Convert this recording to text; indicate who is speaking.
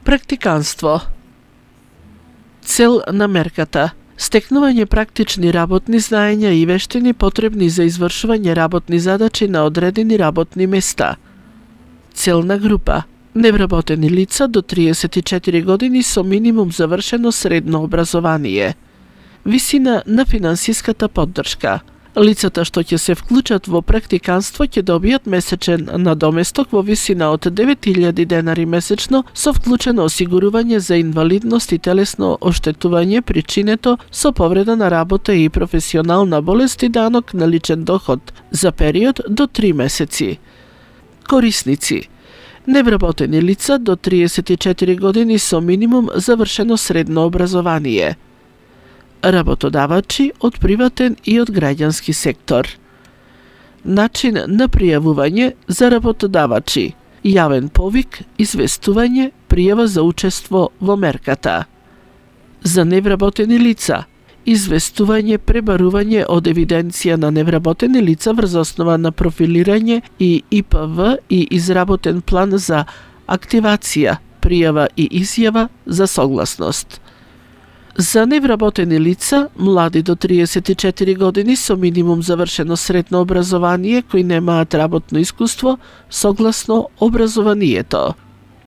Speaker 1: Практиканство. Цел на мерката: стекнување практични работни знаења и вештини потребни за извршување работни задачи на одредени работни места. Целна група: невработени лица до 34 години со минимум завршено средно образование. Висина на финансиската поддршка: лицата што ќе се вклучат во практиканство ќе добијат месечен надоместок во висина од 9000 денари месечно со вклучено осигурување за инвалидност и телесно оштетување причинето со повреда на работа и професионална болест и данок на личен доход за период до 3 месеци. Корисници: невработени лица до 34 години со минимум завршено средно образование. Работодавачи од приватен и од граѓански сектор. Начин на пријавување за работодавачи: јавен повик, известување, пријава за учество во мерката. За невработени лица: известување, пребарување од евиденција на невработени лица врз основа на профилирање и ИПВ и изработен план за активација, пријава и изјава за согласност. За невработени лица, млади до 34 години со минимум завршено средно образование кои немаат работно искуство, согласно образованието.